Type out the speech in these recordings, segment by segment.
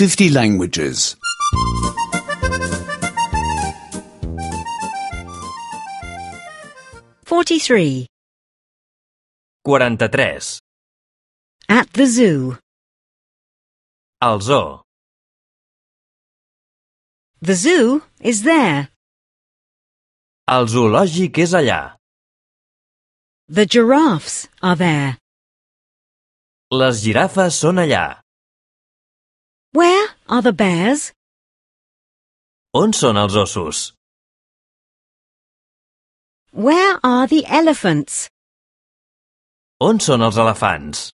50 languages. 43. 43. At the zoo. Al zoo. The zoo is there. El zoològic és allà. The giraffes are there. Les girafes són allà. Where are the bears? On són els ossos? Where are the elephants? On són els elefants?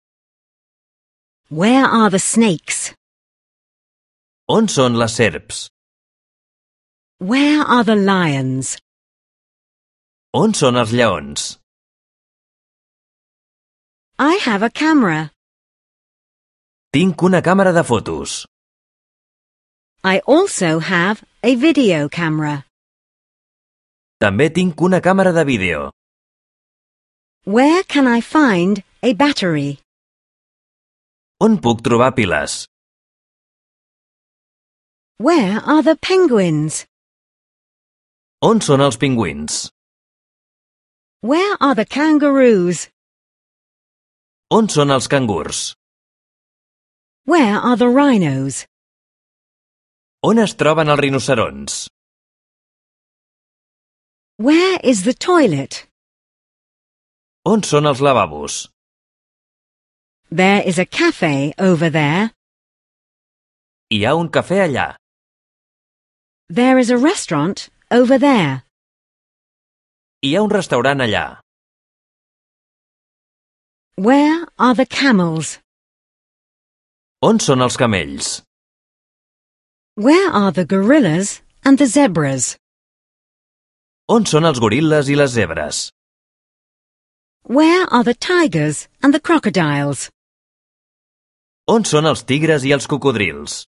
Where are the snakes? On són les serps? Where are the lions? On són els lleons? I have a camera. Tinc una càmera de fotos. I also have a video camera. També tinc una càmera de vídeo. Where can I find a battery? On puc trobar piles? Where are the penguins? On són els pingüins? Where are the kangaroos? On són els cangurs? Where are the rhinos? On es troben els rinocerons? Where is the toilet? On són els lavabos? There is a cafe over there. Hi ha un cafè allà. There is a restaurant over there. Hi ha un restaurant allà. Where are the camels? On són els camells? Where are the gorillas and the zebras? On són els goril·les i les zebres? Where are the tigers and the crocodiles? On són els tigres i els cocodrils?